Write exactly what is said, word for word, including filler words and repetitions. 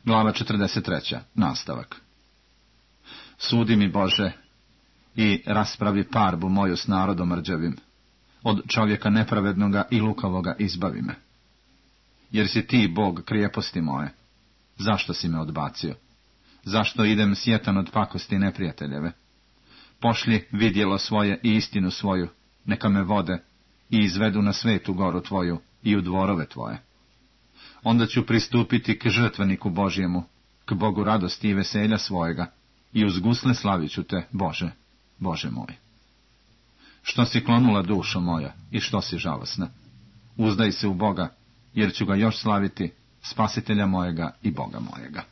Glava četrdeset treća. Nastavak. Sudi mi, Bože, i raspravi parbu moju s narodom rđavim. Od čovjeka nepravednoga i lukavoga izbavi me. Jer si ti, Bog, krijeposti moje. Zašto si me odbacio? Zašto idem sjetan od pakosti neprijateljeve? Pošli vidjelo svoje i istinu svoju, neka me vode i izvedu na svetu goru tvoju i u dvorove tvoje. Onda ću pristupiti k žrtveniku Božjemu, k Bogu radosti i veselja svojega, i uz gusle slavit ću te, Bože, Bože moj. Što si klonula, dušo moja, i što si žalosna? Uzdaj se u Boga, jer ću ga još slaviti, spasitelja mojega i Boga mojega.